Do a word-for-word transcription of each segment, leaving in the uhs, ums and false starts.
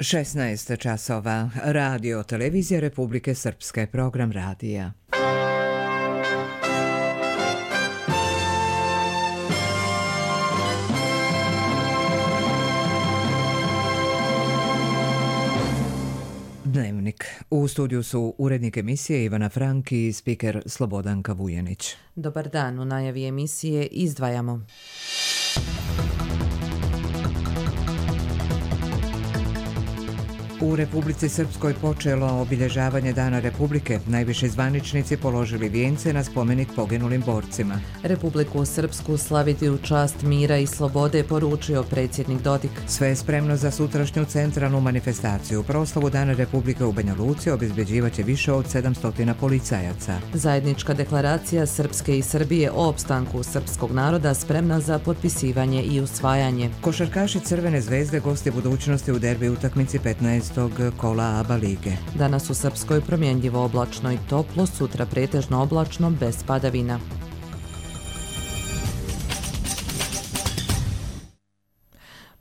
šesnaest časova. Radio Televizija Republike Srpske, program radija. Dnevnik. U studiju su urednik emisije Ivana Frank i spiker Slobodanka Vujanić. Dobar dan, u najavi emisije izdvajamo. U Republici Srpskoj počelo obilježavanje Dana Republike. Najviši zvaničnici položili vijence na spomenik poginulim borcima. Republiku Srpsku slaviti u čast mira i slobode, poručio predsjednik Dodik. Sve je spremno za sutrašnju centralnu manifestaciju. Proslavu Dana Republike u Banja Luci obezbeđivaće više od sedamsto policajaca. Zajednička deklaracija Srpske i Srbije o opstanku srpskog naroda spremna za potpisivanje i usvajanje. Košarkaši Crvene zvezde gosti budućnosti u derbi utakmici petnaestog kola A B A lige. Danas u Srpskoj promjenljivo oblačno i toplo, sutra pretežno oblačno bez padavina.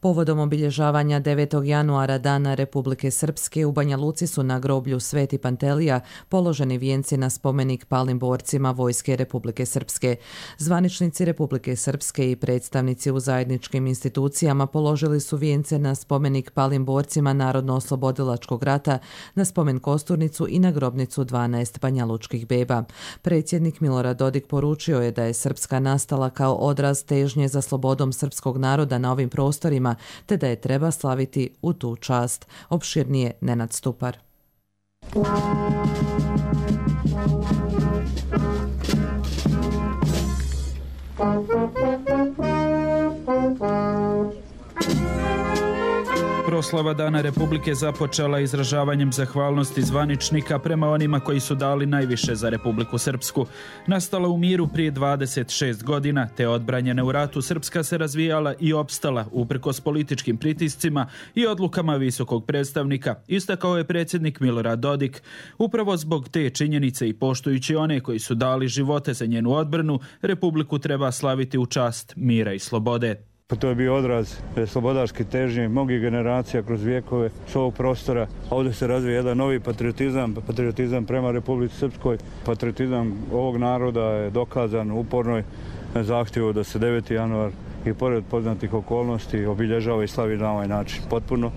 Povodom obilježavanja devetog januara Dana Republike Srpske u Banja Luci su na groblju Sveti Pantelija položeni vijenci na spomenik palim borcima Vojske Republike Srpske. Zvaničnici Republike Srpske i predstavnici u zajedničkim institucijama položili su vijence na spomenik palim borcima Narodno-oslobodilačkog rata, na spomen kosturnicu i na grobnicu dvanaest banjalučkih beba. Predsjednik Milorad Dodik poručio je da je Srpska nastala kao odraz težnje za slobodom srpskog naroda na ovim prostorima, te da je treba slaviti u tu čast. Opširnije Nenad Stupar. Proslava Dana Republike započela izražavanjem zahvalnosti zvaničnika prema onima koji su dali najviše za Republiku Srpsku. Nastala u miru prije dvadeset šest godina, te odbranjena u ratu, Srpska se razvijala i opstala uprkos političkim pritiscima i odlukama visokog predstavnika, istakao je predsjednik Milorad Dodik. Upravo zbog te činjenice i poštujući one koji su dali živote za njenu odbranu, Republiku treba slaviti u čast mira i slobode. Pa to je bio odraz slobodarske težnje mnogih generacija kroz vijekove s ovog prostora. Ovdje se razvija jedan novi patriotizam, patriotizam prema Republici Srpskoj. Patriotizam ovog naroda je dokazan u upornoj zahtjevu da se deveti januar i pored poznatih okolnosti obilježava i slavi na ovaj način. Potpuno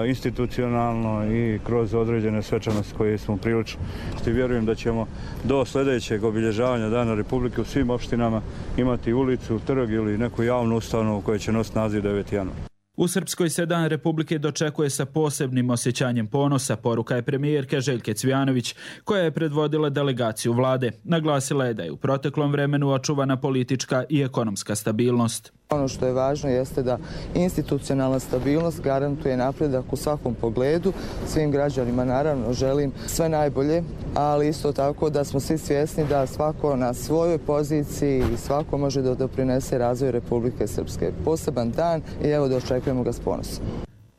institucionalno i kroz određene svečanosti koje smo prilično. I vjerujem da ćemo do sljedećeg obilježavanja Dana Republike u svim opštinama imati ulicu, trg ili neku javnu ustanovu koja će nositi naziv deveti januar. U Srpskoj se Dan Republike dočekuje sa posebnim osjećanjem ponosa, poruka je premijerke Željke Cvijanović, koja je predvodila delegaciju vlade. Naglasila je da je u proteklom vremenu očuvana politička i ekonomska stabilnost. Ono što je važno jeste da institucionalna stabilnost garantuje napredak u svakom pogledu. Svim građanima naravno želim sve najbolje, ali isto tako da smo svi svjesni da svako na svojoj poziciji i svako može da doprinese razvoju Republike Srpske. Poseban dan i evo da očekujemo ga s ponosom.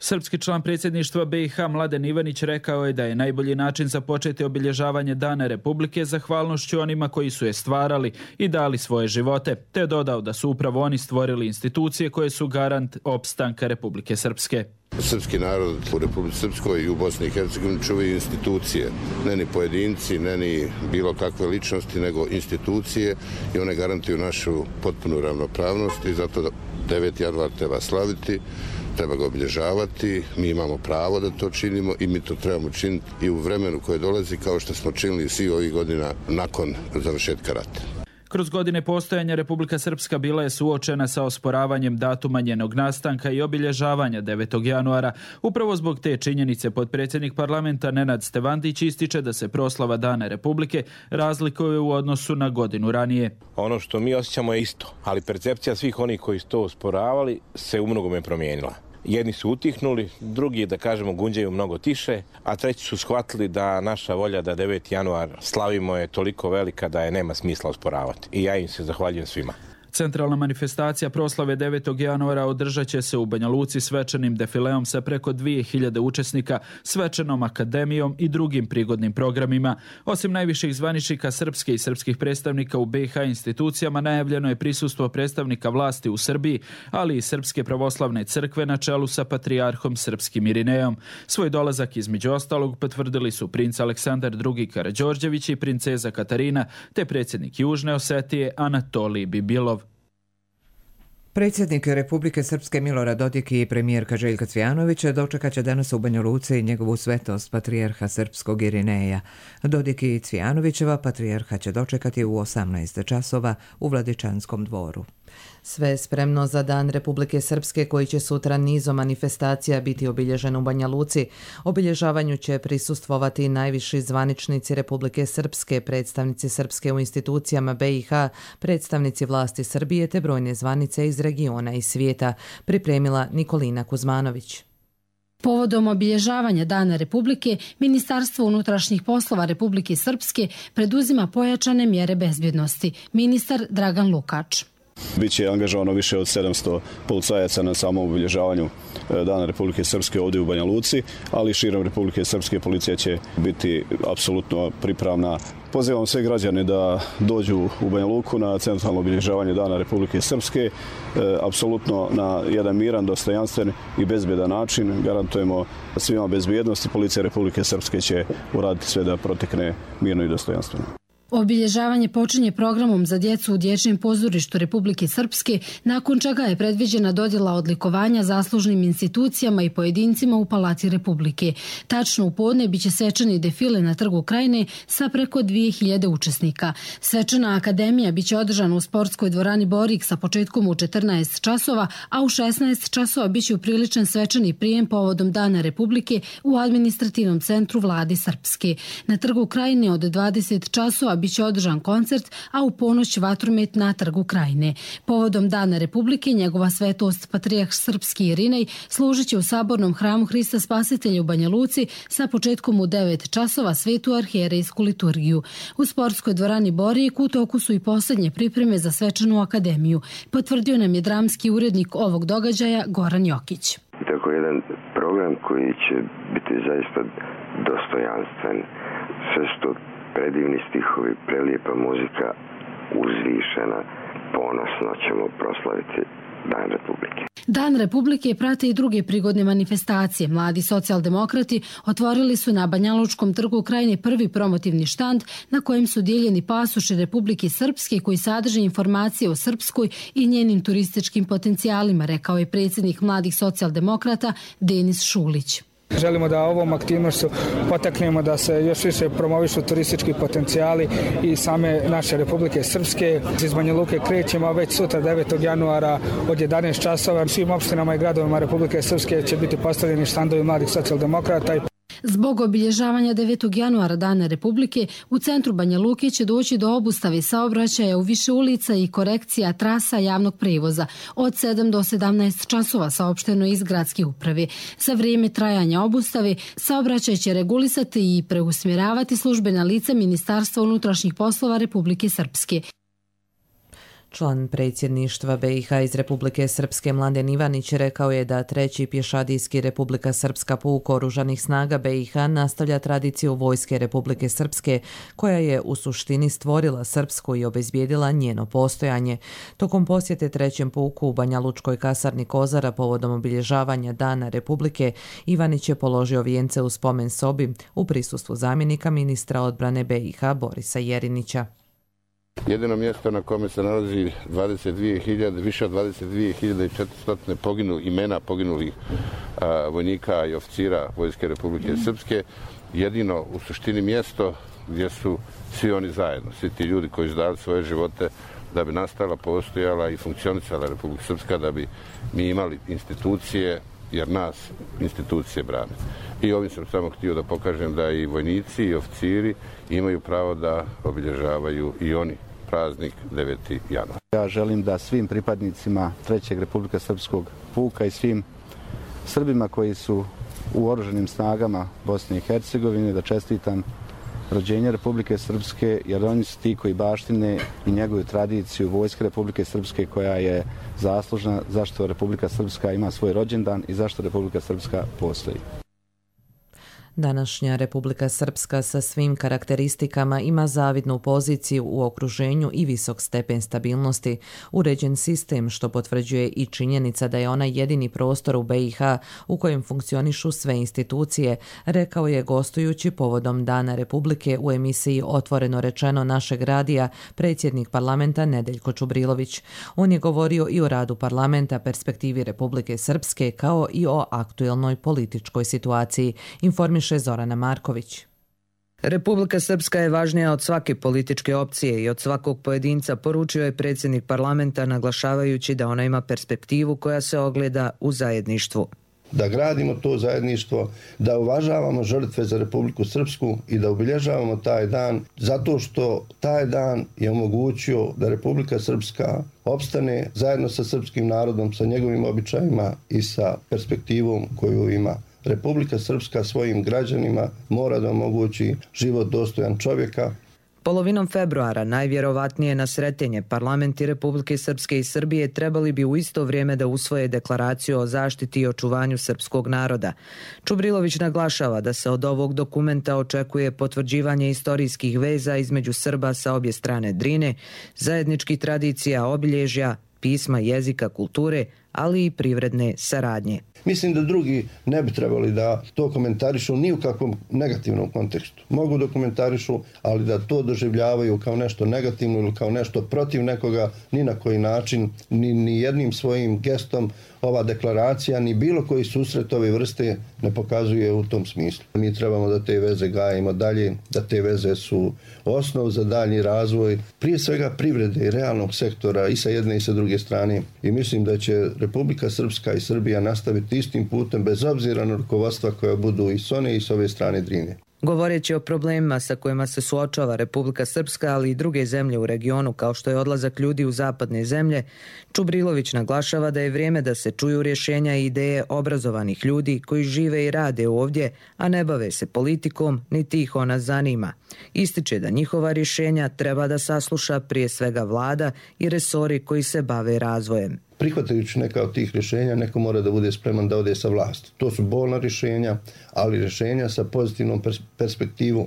Srpski član predsjedništva B i H Mladen Ivanić rekao je da je najbolji način za početi obilježavanje Dana Republike zahvalnošću onima koji su je stvarali i dali svoje živote, te dodao da su upravo oni stvorili institucije koje su garant opstanka Republike Srpske. Srpski narod u Republici Srpskoj i u Bosni i Hercegovini čuvaju institucije, ne ni pojedinci, ne ni bilo kakve ličnosti, nego institucije i one garantuju našu potpunu ravnopravnost i zato deveti januar treba slaviti. Treba ga obilježavati, mi imamo pravo da to činimo i mi to trebamo činiti i u vremenu koje dolazi kao što smo činili svi ovih godina nakon završetka rata. Kroz godine postojanja Republika Srpska bila je suočena sa osporavanjem datuma njenog nastanka i obilježavanja devetog januara. Upravo zbog te činjenice potpredsjednik parlamenta Nenad Stevandić ističe da se proslava Dana Republike razlikuje u odnosu na godinu ranije. Ono što mi osjećamo je isto, ali percepcija svih onih koji su to osporavali se u mnogome promijenila. Jedni su utihnuli, drugi, da kažemo, gunđaju mnogo tiše, a treći su shvatili da naša volja da deveti januar slavimo je toliko velika da je nema smisla osporavati. I ja im se zahvaljujem svima. Centralna manifestacija proslave devetog januara održat će se u Banja Luci svečanim defileom sa preko dvije hiljade učesnika, svečanom akademijom i drugim prigodnim programima. Osim najviših zvaničnika srpske i srpskih predstavnika u B i H institucijama, najavljeno je prisustvo predstavnika vlasti u Srbiji, ali i Srpske pravoslavne crkve na čelu sa patrijarhom srpskim Irinejom. Svoj dolazak između ostalog potvrdili su princ Aleksandar drugi Karađorđević i princeza Katarina, te predsjednik Južne Osetije Anatolij Bibilov. Predsjednik Republike Srpske Milorad Dodik i premijerka Željka Cvijanović dočekat će danas u Banja Luci njegovu svetost patrijarha srpskog Irineja. Dodik i Cvijanovićeva patrijarha će dočekati u osamnaest časova u Vladičanskom dvoru. Sve je spremno za Dan Republike Srpske koji će sutra nizom manifestacija biti obilježen u Banja Luci. Obilježavanju će prisustvovati i najviši zvaničnici Republike Srpske, predstavnici Srpske u institucijama B i H, predstavnici vlasti Srbije te brojne zvanice iz regiona i svijeta, pripremila Nikolina Kuzmanović. Povodom obilježavanja Dana Republike, Ministarstvo unutrašnjih poslova Republike Srpske preduzima pojačane mjere bezbjednosti. Ministar Dragan Lukač. Biće angažovano više od sedamsto policajaca na samom obilježavanju Dana Republike Srpske ovdje u Banja Luci, ali širom Republike Srpske policija će biti apsolutno pripravna. Pozivam sve građane da dođu u Banja Luku na centralno obilježavanje Dana Republike Srpske, apsolutno na jedan miran, dostojanstven i bezbjedan način. Garantujemo svima bezbjednost i policija Republike Srpske će uraditi sve da protekne mirno i dostojanstveno. Obilježavanje počinje programom za djecu u Dječjem pozorištu Republike Srpske, nakon čega je predviđena dodjela odlikovanja zaslužnim institucijama i pojedincima u Palati Republike. Tačno u podne biće svečani defile na Trgu Krajine sa preko dvije hiljade učesnika. Svečana akademija biće održana u sportskoj dvorani Borik sa početkom u četrnaest časova, a u šesnaest časova biće upriličen svečani prijem povodom Dana Republike u administrativnom centru Vlade Srpske. Na Trgu Krajine od dvadeset časova biće održan koncert, a u ponoć vatromet na Trgu Krajine. Povodom Dana Republike, njegova svetost patrijarh srpski Irinej služit će u sabornom hramu Hrista Spasitelja u Banja Luci sa početkom u devet časova svetu arhijerejsku liturgiju. U sportskoj dvorani Borijek u toku su i posljednje pripreme za svečanu akademiju. Potvrdio nam je dramski urednik ovog događaja Goran Jokić. Tako jedan program koji će biti zaista dostojanstven, sve što predivni stihovi, prelijepa muzika, uzvišena, ponosno ćemo proslaviti Dan Republike. Dan Republike prate i druge prigodne manifestacije. Mladi socijaldemokrati otvorili su na Banjalučkom trgu Krajine prvi promotivni štand na kojem su dijeljeni pasoši Republike Srpske koji sadrže informacije o Srpskoj i njenim turističkim potencijalima, rekao je predsjednik mladih socijaldemokrata Denis Šulić. Želimo da ovom aktivnošću potaknemo da se još više promovišu turistički potencijali i same naše Republike Srpske. Iz Banja Luke krećemo već sutra devetog januara od jedanaest časova. Svim opštinama i gradovima Republike Srpske će biti postavljeni štandovi mladih socijaldemokrata. Zbog obilježavanja devetog januara Dana Republike, u centru Banja Luke će doći do obustave saobraćaja u više ulica i korekcija trasa javnog prevoza. Od sedam do sedamnaest časova saopšteno iz gradske uprave. Za vrijeme trajanja obustave saobraćaj će regulisati i preusmjeravati službena lica Ministarstva unutrašnjih poslova Republike Srpske. Član predsjedništva B i H iz Republike Srpske Mladen Ivanić rekao je da treći pješadijski Republika Srpska puk oružanih snaga B i H nastavlja tradiciju vojske Republike Srpske koja je u suštini stvorila Srpsku i obezbijedila njeno postojanje. Tokom posjete trećem puku u Banja Lučkoj kasarni Kozara povodom obilježavanja Dana Republike, Ivanić je položio vijence u spomen sobi u prisustvu zamjenika ministra odbrane B i H Borisa Jerinića. Jedino mjesto na kome se nalazi dvadeset dvije hiljade, više od dvadeset dvije hiljade četiristo poginu, imena poginulih a, vojnika i oficira Vojske Republike Srpske, jedino u suštini mjesto gdje su svi oni zajedno, svi ti ljudi koji su dali svoje živote da bi nastala, postojala i funkcionisala Republika Srpska, da bi mi imali institucije, jer nas institucije brane. I ovim sam samo htio da pokažem da i vojnici i oficiri imaju pravo da obilježavaju i oni praznik deveti januar. Ja želim da svim pripadnicima trećeg Republika Srpskog puka i svim Srbima koji su u oružanim snagama Bosne i Hercegovine da čestitam rođenja Republike Srpske, jer oni su ti koji baštine i njegovu tradiciju Vojske Republike Srpske koja je zaslužna zašto Republika Srpska ima svoj rođendan i zašto Republika Srpska postoji. Današnja Republika Srpska sa svim karakteristikama ima zavidnu poziciju u okruženju i visok stepen stabilnosti, uređen sistem što potvrđuje i činjenica da je ona jedini prostor u be i ha u kojem funkcionišu sve institucije, rekao je gostujući povodom Dana Republike u emisiji Otvoreno rečeno našeg radija predsjednik parlamenta Nedeljko Čubrilović. On je govorio i o radu parlamenta, perspektivi Republike Srpske kao i o aktuelnoj političkoj situaciji, informiše Zorana Marković. Republika Srpska je važnija od svake političke opcije i od svakog pojedinca, poručio je predsjednik parlamenta naglašavajući da ona ima perspektivu koja se ogleda u zajedništvu. Da gradimo to zajedništvo, da uvažavamo žrtve za Republiku Srpsku i da obilježavamo taj dan zato što taj dan je omogućio da Republika Srpska opstane zajedno sa srpskim narodom, sa njegovim običajima i sa perspektivom koju ima. Republika Srpska svojim građanima mora da omogući život dostojan čovjeka. Polovinom februara, najvjerovatnije na sretenje, parlamenti Republike Srpske i Srbije trebali bi u isto vrijeme da usvoje deklaraciju o zaštiti i očuvanju srpskog naroda. Čubrilović naglašava da se od ovog dokumenta očekuje potvrđivanje istorijskih veza između Srba sa obje strane Drine, zajedničkih tradicija, obilježja, pisma, jezika, kulture, ali i privredne saradnje. Mislim da drugi ne bi trebali da to komentarišu ni u kakvom negativnom kontekstu. Mogu da komentarišu, ali da to doživljavaju kao nešto negativno ili kao nešto protiv nekoga, ni na koji način, ni, ni jednim svojim gestom ova deklaracija, ni bilo koji susret ove vrste ne pokazuje u tom smislu. Mi trebamo da te veze gajimo dalje, da te veze su osnov za dalji razvoj, prije svega privrede i realnog sektora i sa jedne i sa druge strane. I mislim da će Republika Srpska i Srbija nastaviti istim putem bez obzira na rukovodstva koja budu i s one i s ove strane Drine. Govoreći o problemima sa kojima se suočava Republika Srpska, ali i druge zemlje u regionu, kao što je odlazak ljudi u zapadne zemlje, Čubrilović naglašava da je vrijeme da se čuju rješenja i ideje obrazovanih ljudi koji žive i rade ovdje, a ne bave se politikom, niti ih ona zanima. Ističe da njihova rješenja treba da sasluša prije svega vlada i resori koji se bave razvojem. Prihvatajući neka od tih rješenja, neko mora da bude spreman da ode sa vlasti. To su bolna rješenja, ali rješenja sa pozitivnom pers- perspektivom.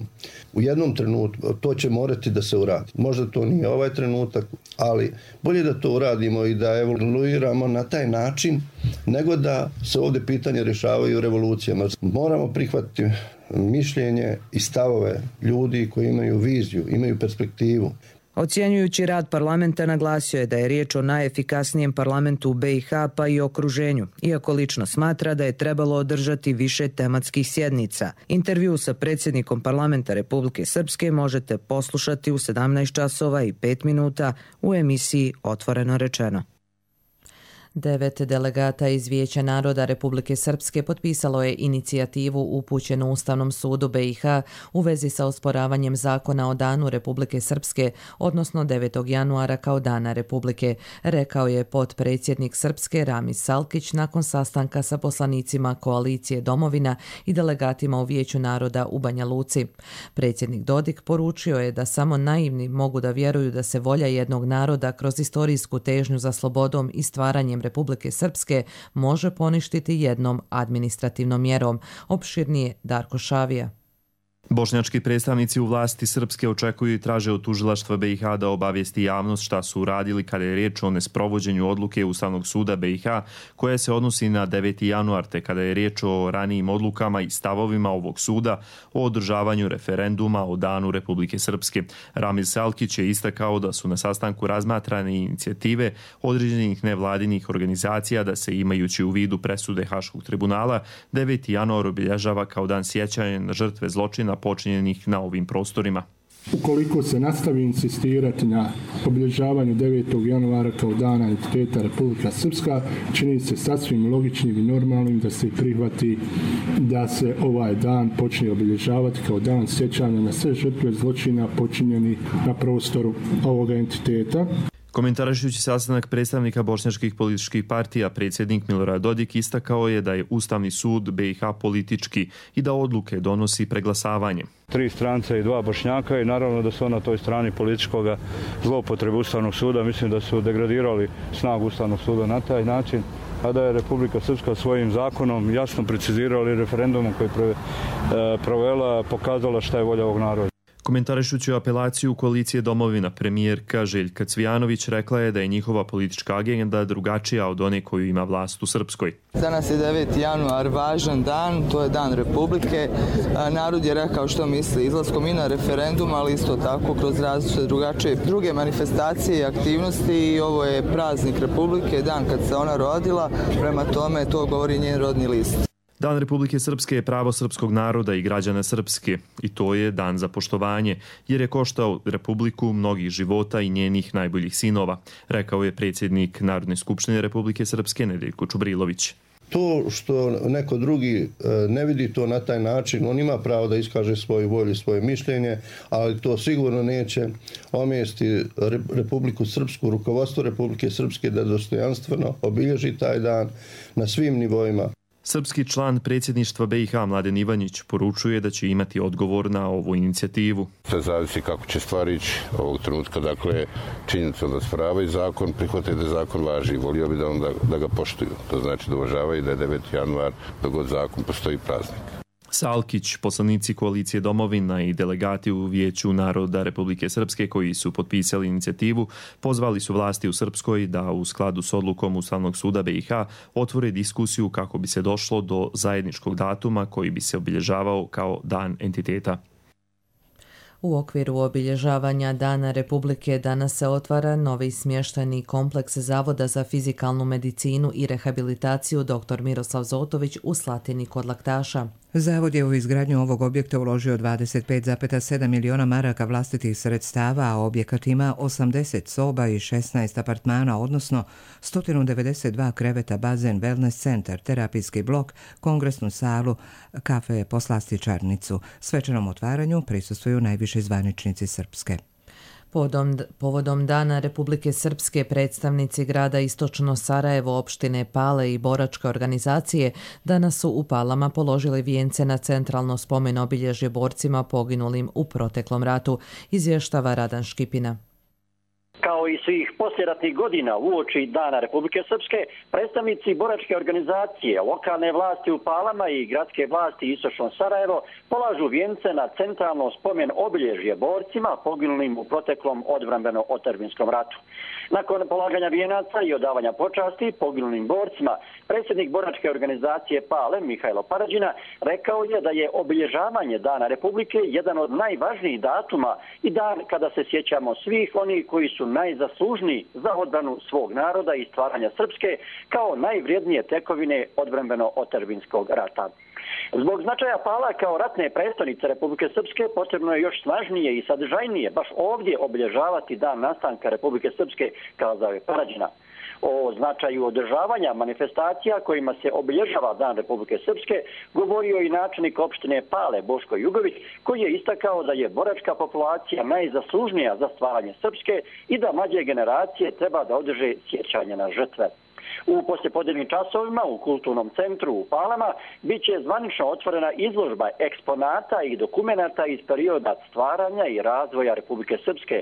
U jednom trenutku to će morati da se uradi. Možda to nije ovaj trenutak, ali bolje da to uradimo i da evoluiramo na taj način, nego da se ovdje pitanje rješavaju revolucijama. Moramo prihvatiti mišljenje i stavove ljudi koji imaju viziju, imaju perspektivu. Ocjenjujući rad parlamenta naglasio je da je riječ o najefikasnijem parlamentu u be i ha pa i okruženju, iako lično smatra da je trebalo održati više tematskih sjednica. Intervju sa predsjednikom parlamenta Republike Srpske možete poslušati u sedamnaest časova i pet minuta u emisiji Otvoreno rečeno. Devet delegata iz Vijeća naroda Republike Srpske potpisalo je inicijativu upućenu Ustavnom sudu be i ha u vezi sa osporavanjem zakona o Danu Republike Srpske, odnosno devetog januara kao Dana Republike, rekao je potpredsjednik Srpske Ramis Salkić nakon sastanka sa poslanicima koalicije Domovina i delegatima u Vijeću naroda u Banja Luci. Predsjednik Dodik poručio je da samo naivni mogu da vjeruju da se volja jednog naroda kroz istorijsku težnju za slobodom i stvaranjem Republike Srpske može poništiti jednom administrativnom mjerom. Opširnije Darko Šavija. Bošnjački predstavnici u vlasti Srpske očekuju i traže od tužilaštva be i ha da obavijesti javnost šta su uradili kada je riječ o nesprovođenju odluke Ustavnog suda be i ha koja se odnosi na deveti januar, te kada je riječ o ranijim odlukama i stavovima ovog suda o održavanju referenduma o Danu Republike Srpske. Ramis Salkić je istakao da su na sastanku razmatrane inicijative određenih nevladinih organizacija da se, imajući u vidu presude Haškog tribunala, deveti januar obilježava kao dan sjećanja na žrtve zločina počinjenih na ovim prostorima. Ukoliko se nastavi insistirati na obilježavanju devetog januara kao dana entiteta Republika Srpska, čini se sasvim logičnim i normalnim da se prihvati da se ovaj dan počne obilježavati kao dan sjećanja na sve žrtve zločina počinjeni na prostoru ovoga entiteta. Komentarišući sastanak predstavnika bošnjačkih političkih partija, predsjednik Milorad Dodik istakao je da je Ustavni sud B i H politički i da odluke donosi preglasavanjem. Tri stranca i dva Bošnjaka i naravno da su na toj strani političkog zloupotrebe Ustavnog suda. Mislim da su degradirali snagu Ustavnog suda na taj način, a da je Republika Srpska svojim zakonom jasno precizirala i referendumom koji je provela pokazala šta je volja ovog naroda. Komentarišući apelaciju koalicije Domovina, premijerka Željka Cvijanović rekla je da je njihova politička agenda drugačija od one koju ima vlast u Srpskoj. Danas je deveti januar, važan dan, to je dan Republike. Narod je rekao što misli izlaskom i na referendum, ali isto tako kroz različite drugačije druge manifestacije i aktivnosti i ovo je praznik Republike, dan kad se ona rodila, prema tome to govori njen rodni list. Dan Republike Srpske je pravo srpskog naroda i građana Srpske i to je dan za poštovanje, jer je koštao Republiku mnogih života i njenih najboljih sinova, rekao je predsjednik Narodne skupštine Republike Srpske Nedeljko Čubrilović. To što neko drugi ne vidi to na taj način, on ima pravo da iskaže svoju volju, svoje mišljenje, ali to sigurno neće omesti Republiku Srpsku, rukovodstvo Republike Srpske da dostojanstveno obilježi taj dan na svim nivoima. Srpski član predsjedništva B i H Mladen Ivanjić poručuje da će imati odgovor na ovu inicijativu. Sve zavisi kako će stvari ići ovog trenutka. Dakle, činjenica da spravaju zakon, prihvataju da zakon važi. Volio bi da, onda, da ga poštuju. To znači da uvažavaju da je deveti januar, dok god zakon postoji praznik. Salkić, poslanici koalicije Domovina i delegati u Vijeću naroda Republike Srpske koji su potpisali inicijativu, pozvali su vlasti u Srpskoj da u skladu s odlukom Ustavnog suda B i H otvore diskusiju kako bi se došlo do zajedničkog datuma koji bi se obilježavao kao Dan entiteta. U okviru obilježavanja Dana Republike danas se otvara novi smještajni kompleks Zavoda za fizikalnu medicinu i rehabilitaciju dr. Miroslav Zotović u Slatini kod Laktaša. Zavod je u izgradnju ovog objekta uložio dvadeset pet zarez sedam miliona maraka vlastitih sredstava, a objekat ima osamdeset soba i šesnaest apartmana, odnosno sto devedeset dva kreveta, bazen, wellness centar, terapijski blok, kongresnu salu, kafe, poslastičarnicu. Svečanom otvaranju prisustvuju najviši zvaničnici Srpske. Povodom, povodom Dana Republike Srpske predstavnici grada Istočno Sarajevo, opštine Pale i boračke organizacije danas su u Palama položili vijence na centralno spomen obilježje borcima poginulim u proteklom ratu, izvještava Radan Škipina. Kao i svih posljeratnih godina uoči Dana Republike Srpske, predstavnici boračke organizacije, lokalne vlasti u Palama i gradske vlasti Istočno Sarajevo polažu vijence na centralno spomen obilježje borcima poginulim u proteklom odbrambeno-otadžbinskom ratu. Nakon polaganja vijenaca i odavanja počasti poginulim borcima, predsjednik boračke organizacije Pale, Mihajlo Parađina, rekao je da je obilježavanje Dana Republike jedan od najvažnijih datuma i dan kada se sjećamo svih onih koji su najzaslužniji za odbranu svog naroda i stvaranja Srpske kao najvrijednije tekovine odbrambeno-otadžbinskog rata. Zbog značaja Pala kao ratne prestonice Republike Srpske potrebno je još snažnije i sadržajnije baš ovdje obilježavati dan nastanka Republike Srpske, kazao je Parađina. O značaju održavanja manifestacija kojima se obilježava Dan Republike Srpske govorio i načelnik opštine Pale Boško Jugović, koji je istakao da je boračka populacija najzaslužnija za stvaranje Srpske i da mlađe generacije treba da održe sjećanje na žrtve. U poslijepodnevnim časovima u kulturnom centru u Palama bit će zvanično otvorena izložba eksponata i dokumenata iz perioda stvaranja i razvoja Republike Srpske.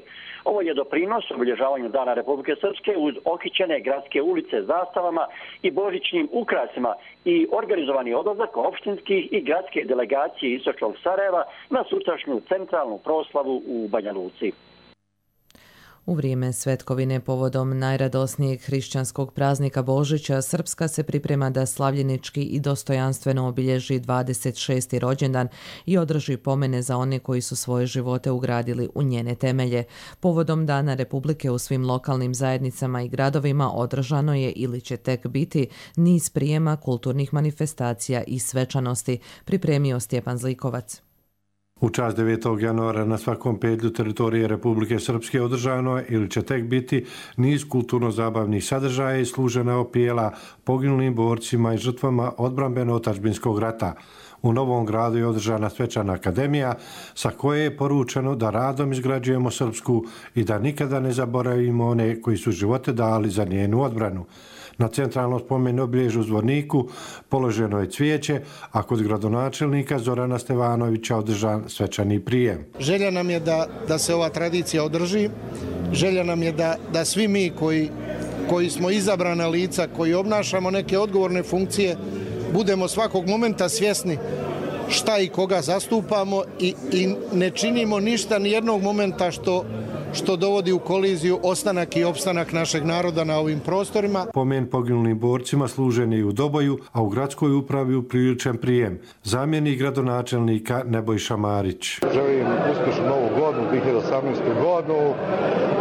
Ovo je doprinos obilježavanju Dana Republike Srpske uz okićene gradske ulice zastavama i božićnim ukrasima i organizovani odlazak opštinskih i gradske delegacije Istočnog Sarajeva na sutrašnju centralnu proslavu u Banja Luci. U vrijeme svetkovine povodom najradosnijeg hrišćanskog praznika Božića, Srpska se priprema da slavljenički i dostojanstveno obilježi dvadeset šesti rođendan i održi pomene za one koji su svoje živote ugradili u njene temelje. Povodom Dana Republike u svim lokalnim zajednicama i gradovima održano je ili će tek biti niz prijema kulturnih manifestacija i svečanosti, pripremio Stjepan Zlikovac. U čast devetog januara na svakom pedlju teritorije Republike Srpske održano je ili će tek biti niz kulturno-zabavnih sadržaja i služena opijela poginulim borcima i žrtvama odbrambeno-otadžbinskog rata. U Novom Gradu je održana svečana akademija sa koje je poručeno da radom izgrađujemo Srpsku i da nikada ne zaboravimo one koji su živote dali za njenu odbranu. Na centralnom spomen obilježju u Zvorniku položeno je cvijeće, a kod gradonačelnika Zorana Stevanovića održan svečani prijem. Želja nam je da, da se ova tradicija održi, želja nam je da, da svi mi koji, koji smo izabrana lica, koji obnašamo neke odgovorne funkcije, budemo svakog momenta svjesni šta i koga zastupamo i, i ne činimo ništa ni jednog momenta što što dovodi u koliziju ostanak i opstanak našeg naroda na ovim prostorima. Pomen poginulim borcima služen je i u Doboju, a u gradskoj upravi upriličen prijem. Zamjenik gradonačelnika Nebojša Marić. Želim uspješnu novu godinu, dvije hiljade osamnaestu. godinu,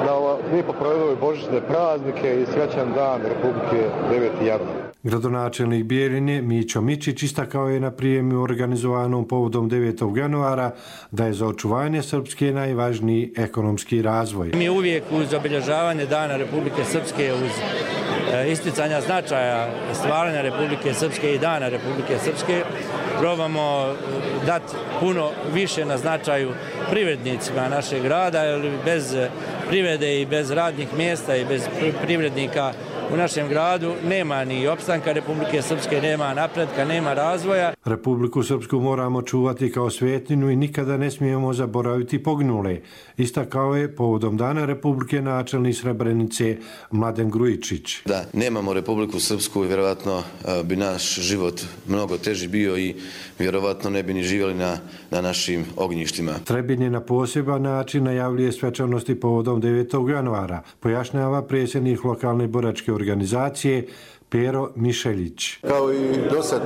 da lijepo provedu božićne praznike i srećan dan Republike deveti januar. Gradonačelnik Bijeljine Mićo Mičić istakao je na prijemu organizovanom povodom devetog januara da je za očuvanje Srpske najvažniji ekonomski razvoj. Mi uvijek uz obilježavanje Dana Republike Srpske, uz isticanja značaja stvaranja Republike Srpske i Dana Republike Srpske, probamo dati puno više na značaju privrednicima našeg grada, jer bez privrede i bez radnih mjesta i bez privrednika u našem gradu nema ni opstanka Republike Srpske, nema napretka, nema razvoja. Republiku Srpsku moramo čuvati kao svetinju i nikada ne smijemo zaboraviti poginule. Istakao je povodom Dana Republike načelnik Srebrenice Mladen Grujičić. Da nemamo Republiku Srpsku, vjerovatno bi naš život mnogo teži bio i vjerovatno ne bi ni živjeli na, na našim ognjištima. Trebinje je na poseban način najavljuje svečanosti povodom devetog januara, pojašnjava predsjednik lokalne boračke organizacije Pero Mišeljić. Kao i dosad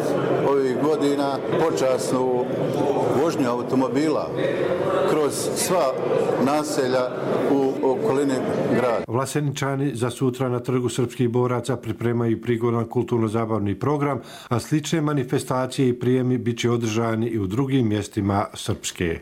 ovih godina počasnu vožnju automobila kroz sva naselja u okolini grada. Vlaseničani za sutra na Trgu srpskih boraca pripremaju prigodan kulturno-zabavni program, a slične manifestacije i prijemi bit će održani i u drugim mjestima Srpske.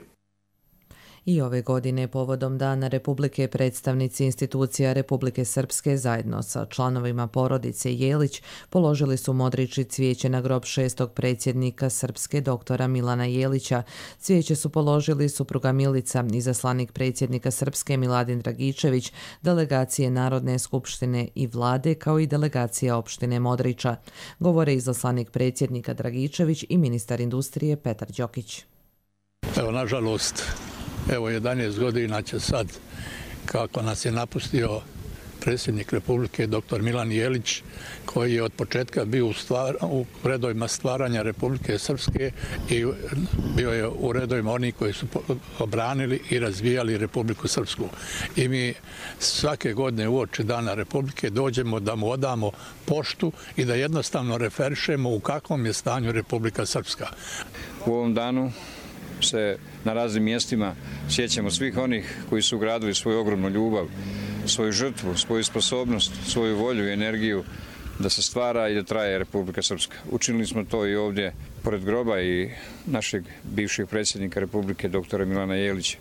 I ove godine povodom Dana Republike predstavnici institucija Republike Srpske zajedno sa članovima porodice Jelić položili su modrići cvijeće na grob šestog predsjednika Srpske doktora Milana Jelića. Cvijeće su položili supruga Milica, izaslanik predsjednika Srpske Miladin Dragičević, delegacije Narodne skupštine i vlade kao i delegacija opštine Modrića. Govore izaslanik predsjednika Dragičević i ministar industrije Petar Đokić. Evo, nažalost, evo jedanaest godina će sad, kako nas je napustio predsjednik Republike doktor Milan Jelić, koji je od početka bio u, stvar, u redovima stvaranja Republike Srpske i bio je u redovima onih koji su obranili i razvijali Republiku Srpsku. I mi svake godine uoči Dana Republike dođemo da mu odamo poštu i da jednostavno referišemo u kakvom je stanju Republika Srpska. U ovom danu se na raznim mjestima sjećamo svih onih koji su ugradili svoju ogromnu ljubav, svoju žrtvu, svoju sposobnost, svoju volju i energiju da se stvara i da traje Republika Srpska. Učinili smo to i ovdje pored groba i našeg bivšeg predsjednika Republike doktora Milana Jelića.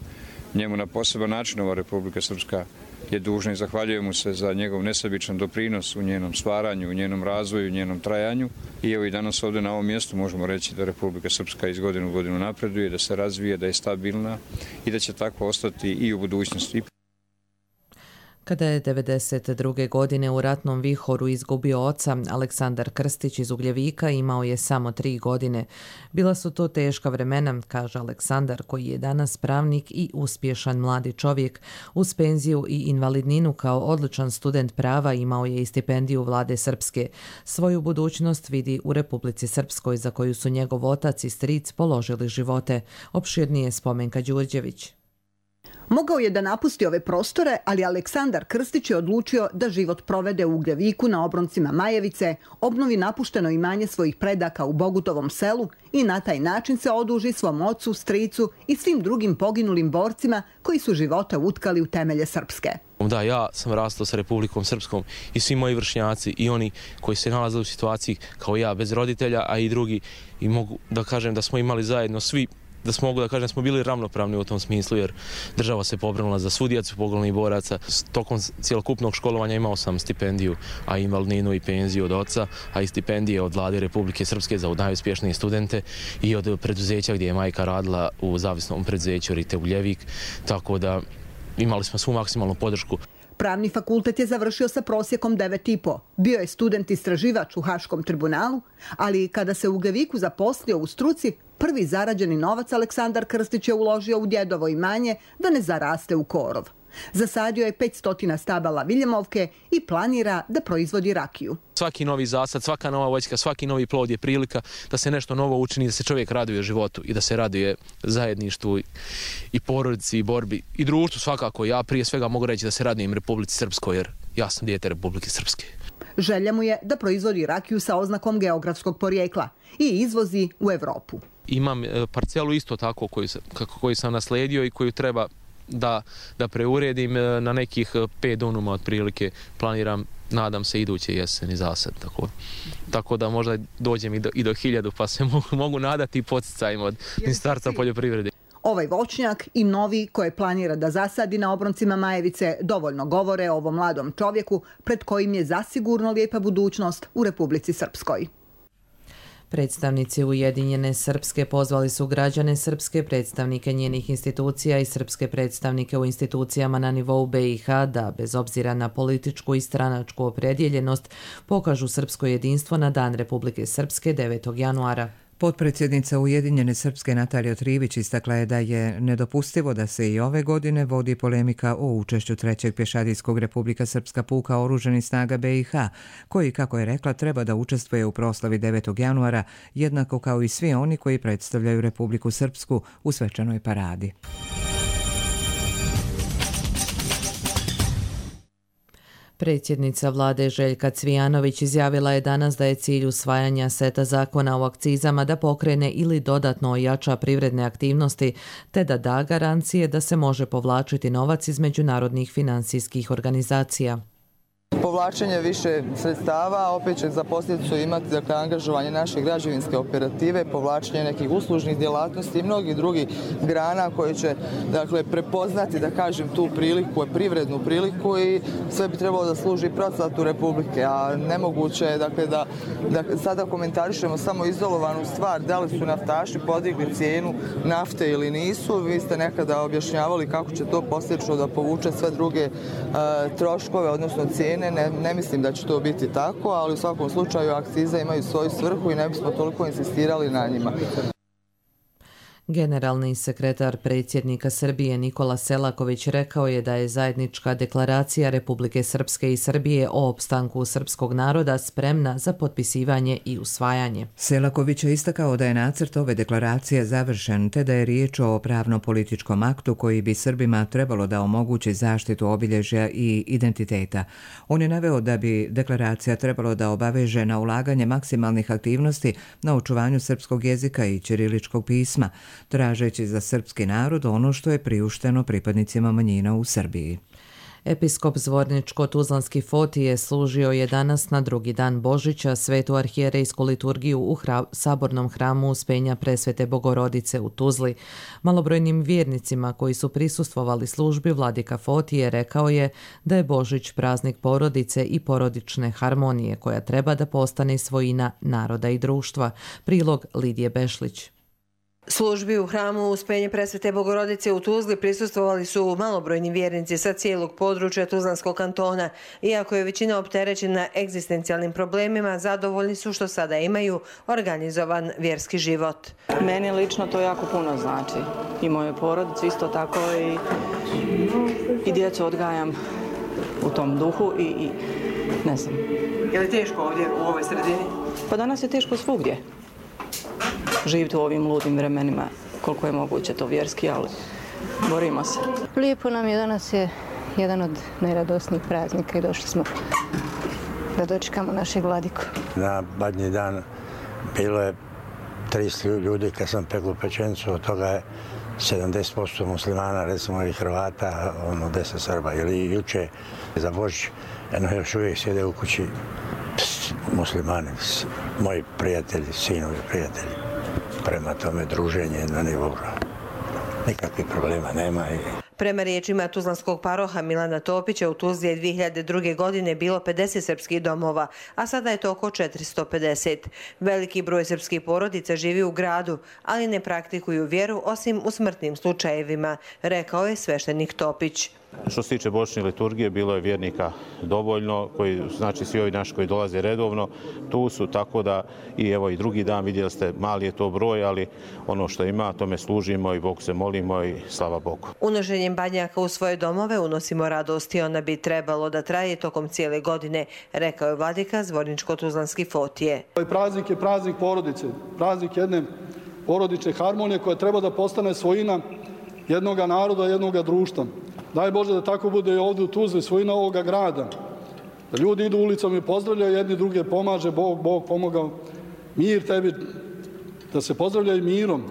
Njemu na poseban način ova Republika Srpska je dužna i zahvaljujemo se za njegov nesebičan doprinos u njenom stvaranju, u njenom razvoju, u njenom trajanju. I evo i danas ovdje na ovom mjestu možemo reći da Republika Srpska iz godine u godinu napreduje, da se razvije, da je stabilna i da će tako ostati i u budućnosti. Kada je devedeset druge godine u ratnom vihoru izgubio oca, Aleksandar Krstić iz Ugljevika imao je samo tri godine. Bila su to teška vremena, kaže Aleksandar, koji je danas pravnik i uspješan mladi čovjek. Uz penziju i invalidninu kao odličan student prava imao je i stipendiju vlade Srpske. Svoju budućnost vidi u Republici Srpskoj, za koju su njegov otac i stric položili živote. Opširnije Spomenka Đurđević. Mogao je da napusti ove prostore, ali Aleksandar Krstić je odlučio da život provede u Ugljeviku na obroncima Majevice, obnovi napušteno imanje svojih predaka u Bogutovom selu i na taj način se oduži svom ocu, stricu i svim drugim poginulim borcima koji su živote utkali u temelje Srpske. Da, ja sam rastao sa Republikom Srpskom i svi moji vršnjaci i oni koji se nalaze u situaciji kao ja, bez roditelja, a i drugi. I mogu da kažem da smo imali zajedno svi da smo, mogu da kažem, smo bili ravnopravni u tom smislu, jer država se pobrinula za svu djecu poginulih boraca. Tokom cjelokupnog školovanja imao sam stipendiju, a invalidninu i penziju od oca, a i stipendije od Vlade Republike Srpske za najuspješnije studente i od preduzeća gdje je majka radila u zavisnom preduzeću Rite Uljevik, tako da imali smo svu maksimalnu podršku. Pravni fakultet je završio sa prosjekom devet i po. Bio je student istraživač u Haškom tribunalu, ali kada se u Ugljeviku zaposlio u struci, prvi zarađeni novac Aleksandar Krstić je uložio u djedovo imanje da ne zaraste u korov. Zasadio je petsto stabala Viljemovke i planira da proizvodi rakiju. Svaki novi zasad, svaka nova voćka, svaki novi plod je prilika da se nešto novo učini, da se čovjek raduje životu i da se raduje zajedništvu i porodici i borbi i društvu svakako. Ja prije svega mogu reći da se radujem Republici Srpskoj, jer ja sam dijete Republike Srpske. Želja mu je da proizvodi rakiju sa oznakom geografskog porijekla i izvozi u Evropu. Imam parcelu isto tako koju sam, koju sam nasledio i koju treba da, da preuredim na nekih pet dunuma otprilike. Planiram, nadam se, iduće jeseni zasad. Tako, tako da možda dođem i do, i do hiljadu, pa se mogu, mogu nadati poticajima od Ministarstva poljoprivrede. Ovaj voćnjak i novi koje planira da zasadi na obroncima Majevice dovoljno govore o ovom mladom čovjeku pred kojim je zasigurno lijepa budućnost u Republici Srpskoj. Predstavnici Ujedinjene Srpske pozvali su građane Srpske, predstavnike njenih institucija i srpske predstavnike u institucijama na nivou be i ha da, bez obzira na političku i stranačku opredjeljenost, pokažu srpsko jedinstvo na Dan Republike Srpske devetog januara. Potpredsjednica Ujedinjene Srpske Natalija Trivić istakla je da je nedopustivo da se i ove godine vodi polemika o učešću trećeg pješadijskog Republika Srpska puka oružanih snaga be i ha, koji, kako je rekla, treba da učestvuje u proslavi devetog januara, jednako kao i svi oni koji predstavljaju Republiku Srpsku u svečanoj paradi. Predsjednica vlade Željka Cvijanović izjavila je danas da je cilj usvajanja seta zakona o akcizama da pokrene ili dodatno ojača privredne aktivnosti, te da da garancije da se može povlačiti novac iz međunarodnih financijskih organizacija. Povlačenje više sredstava opet će za posljedicu imati, dakle, angažovanje naše građevinske operative, povlačenje nekih uslužnih djelatnosti i mnogih drugih grana koje će, dakle, prepoznati, da kažem, tu priliku, privrednu priliku i sve bi trebalo da služi procvatu Republike, a nemoguće je, dakle, da, da sada komentarišemo samo izolovanu stvar, da li su naftaši podigli cijenu nafte ili nisu. Vi ste nekada objašnjavali kako će to posljedično da povuče sve druge uh, troškove, odnosno cijene. Ne, ne mislim da će to biti tako, ali u svakom slučaju akcize imaju svoju svrhu i ne bismo toliko insistirali na njima. Generalni sekretar predsjednika Srbije Nikola Selaković rekao je da je zajednička deklaracija Republike Srpske i Srbije o opstanku srpskog naroda spremna za potpisivanje i usvajanje. Selaković je istakao da je nacrt ove deklaracije završen, te da je riječ o pravno-političkom aktu koji bi Srbima trebalo da omogući zaštitu obilježja i identiteta. On je naveo da bi deklaracija trebalo da obaveže na ulaganje maksimalnih aktivnosti na očuvanju srpskog jezika i ćiriličkog pisma, tražeći za srpski narod ono što je priušteno pripadnicima manjina u Srbiji. Episkop Zvorničko-Tuzlanski Fotije služio je danas na drugi dan Božića svetu arhijerejsku liturgiju u hra, sabornom hramu Uspenja Presvete Bogorodice u Tuzli. Malobrojnim vjernicima koji su prisustvovali službi vladika Fotije rekao je da je Božić praznik porodice i porodične harmonije koja treba da postane svojina naroda i društva. Prilog Lidije Bešlić. Službi u hramu Uspenje Presvete Bogorodice u Tuzli prisustvovali su malobrojni vjernici sa cijelog područja Tuzlanskog kantona. Iako je većina opterećena egzistencijalnim problemima, zadovoljni su što sada imaju organizovan vjerski život. Meni lično to jako puno znači. I moje porodice isto tako i, i djecu odgajam u tom duhu i, i ne znam. Je li teško ovdje u ovoj sredini? Pa danas je teško svugdje. Živiti u ovim ludim vremenima, koliko je moguće to vjerski, ali borimo se. Lijepo nam je, danas je jedan od najradosnijih praznika i došli smo da dočekamo našeg vladiku. Na badnji dan bilo je tristo ljudi kad sam peklo pečencu, od toga je sedamdeset posto muslimana, recimo i Hrvata, ono deset Srba. Ili juče za Božić, jedno još uvijek sjede u kući muslimani, moji prijatelji, sinovi prijatelji. prema tome druženje na nivou. Nikakvih problema nema. Prema riječima tuzlanskog paroha Milana Topića, u Tuzli je dvije hiljade druge. godine bilo pedeset srpskih domova, a sada je to oko četiristo pedeset. Veliki broj srpskih porodica živi u gradu, ali ne praktikuju vjeru osim u smrtnim slučajevima, rekao je sveštenik Topić. Što se tiče božićne liturgije, bilo je vjernika dovoljno, koji, znači svi ovi naši koji dolaze redovno, tu su, tako da i evo i drugi dan vidjeli ste, mali je to broj, ali ono što ima, tome služimo i Bogu se molimo i slava Bogu. Unošenjem badnjaka u svoje domove unosimo radost i ona bi trebalo da traje tokom cijele godine, rekao je vladika Zvorničko-tuzlanski Fotije. Ovaj praznik je praznik porodice, praznik jedne porodične harmonije koja treba da postane svojina jednog naroda, jednog društva. Daj Bože da tako bude i ovdje u Tuzli, svojina ovoga grada. Da ljudi idu ulicom i pozdravljaju, jedni druge pomaže, Bog, Bog pomogao. Mir tebi, da se pozdravljaju mirom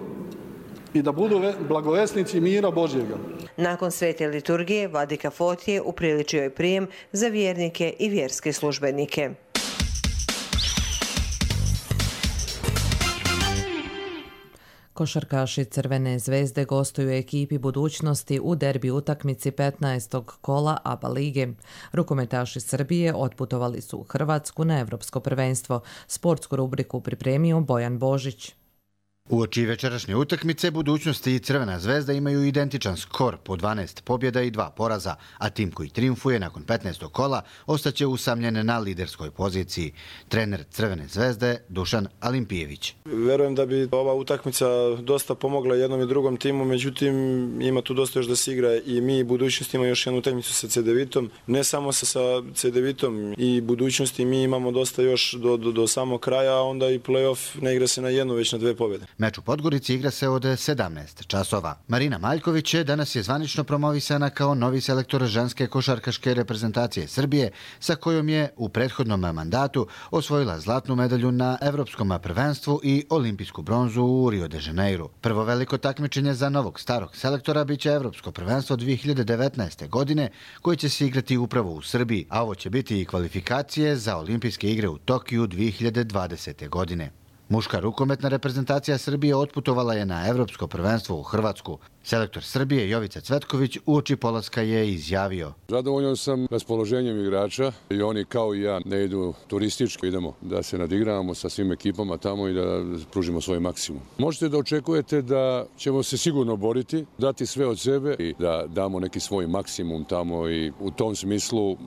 i da budu blagovesnici mira Božjega. Nakon svete liturgije, vladika Fotije upriličio je prijem za vjernike i vjerske službenike. Košarkaši Crvene zvezde gostuju ekipi Budućnosti u derbi utakmici petnaestog kola A B A lige. Rukometaši Srbije otputovali su u Hrvatsku na Evropsko prvenstvo. Sportsku rubriku pripremio Bojan Božić. Uoči večerašnje utakmice Budućnosti i Crvena zvezda imaju identičan skor po dvanaest pobjeda i dva poraza, a tim koji triumfuje nakon petnaestog kola ostaće usamljen na liderskoj poziciji. Trener Crvene zvezde Dušan Alimpijević. Verujem da bi ova utakmica dosta pomogla jednom i drugom timu, međutim ima tu dosta još da se igra i mi i Budućnost ima još jednu utakmicu sa Cedevitom. Ne samo sa, sa Cedevitom i Budućnosti, mi imamo dosta još do, do, do samog kraja, a onda i play-off ne igra se na jednu, već na dve pobjede. Meč u Podgorici igra se od sedamnaest časova. Marina Maljković je danas je zvanično promovisana kao novi selektor ženske košarkaške reprezentacije Srbije, sa kojom je u prethodnom mandatu osvojila zlatnu medalju na Evropskom prvenstvu i olimpijsku bronzu u Rio de Janeiru. Prvo veliko takmičenje za novog starog selektora biće Evropsko prvenstvo dvije hiljade devetnaeste. godine, koje će se igrati upravo u Srbiji, a ovo će biti i kvalifikacije za olimpijske igre u Tokiju dvije hiljade dvadesete. godine. Muška rukometna reprezentacija Srbije otputovala je na Evropsko prvenstvo u Hrvatsku. Selektor Srbije Jovica Cvetković uoči polaska je izjavio: Zadovoljan sam raspoloženjem igrača i oni kao i ja ne idu turistički, idemo da se nadigravamo sa svim ekipama tamo i da pružimo svoj maksimum. Možete da očekujete da ćemo se sigurno boriti, dati sve od sebe i da damo neki svoj maksimum tamo i u tom smislu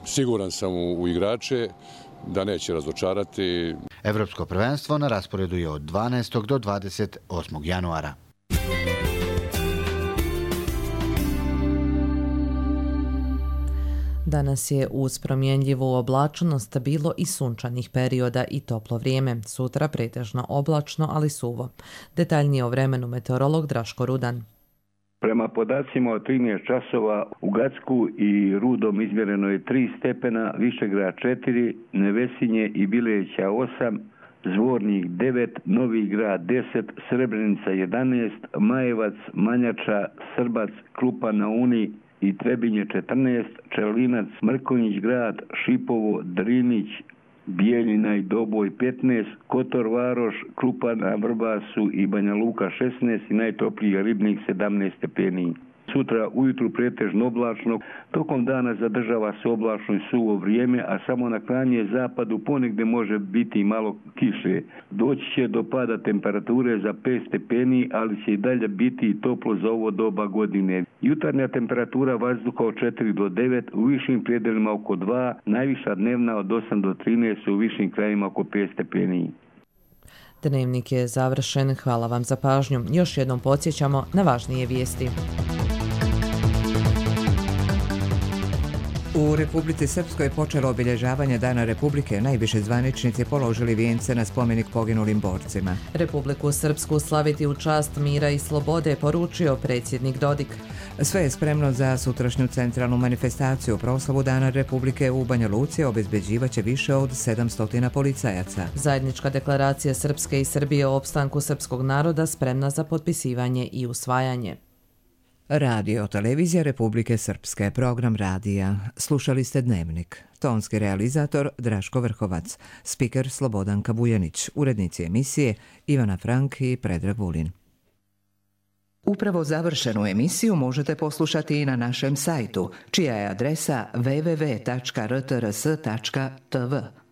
siguran sam u, u igrače da neće razočarati. Evropsko prvenstvo na rasporedu je od dvanaestog do dvadeset osmog januara. Danas je uz promjenljivu oblačnost bilo i sunčanih perioda i toplo vrijeme. Sutra pretežno oblačno, ali suvo. Detaljnije o vremenu meteorolog Draško Rudan. Prema podacima od trinaest časova u Gacku i Rudom izmjereno je tri stepena, Višegrad četiri, Nevesinje i Bileća osam, Zvornik devet, Novi Grad deset, Srebrenica jedanaest, Majevac, Manjača, Srbac, Krupa na Uni i Trebinje četrnaest, Čelinac, Mrkonjić Grad, Šipovo, Drinić, Bijeljina i Doboj petnaest, Kotor Varoš, Krupa na Vrbasu i Banja Luka šesnaest i najtopliji Ribnik sedamnaest stepeni. Sutra ujutru pretežno oblačno, tokom dana zadržava se oblačno i suvo vrijeme, a samo na krajnjem zapadu ponegde može biti malo kiše. Doći će do pada temperature za pet stepeni, ali će i dalje biti toplo za ovo doba godine. Jutarnja temperatura vazduha od četiri do devet, u višim predelima oko dva, najviša dnevna od osam do trinaest, u višim krajima oko pet stepeni. Dnevnik je završen. Hvala vam za pažnju. Još jednom podsjećamo na važnije vijesti. U Republici Srpskoj je počelo obilježavanje Dana Republike. Najviše zvaničnici položili vijence na spomenik poginulim borcima. Republiku Srpsku slaviti u čast mira i slobode, poručio predsjednik Dodik. Sve je spremno za sutrašnju centralnu manifestaciju. Proslavu Dana Republike u Banja Luci obezbeđivaće više od sedamsto policajaca. Zajednička deklaracija Srpske i Srbije o opstanku srpskog naroda spremna za potpisivanje i usvajanje. Radio Televizija Republike Srpske, program radija. Slušali ste Dnevnik. Tonski realizator Draško Vrhovac, spiker Slobodan Kabujanić, urednici emisije Ivana Frank i Predrag Vulin. Upravo završenu emisiju možete poslušati i na našem sajtu, čija je adresa w w w tačka r t r s tačka t v.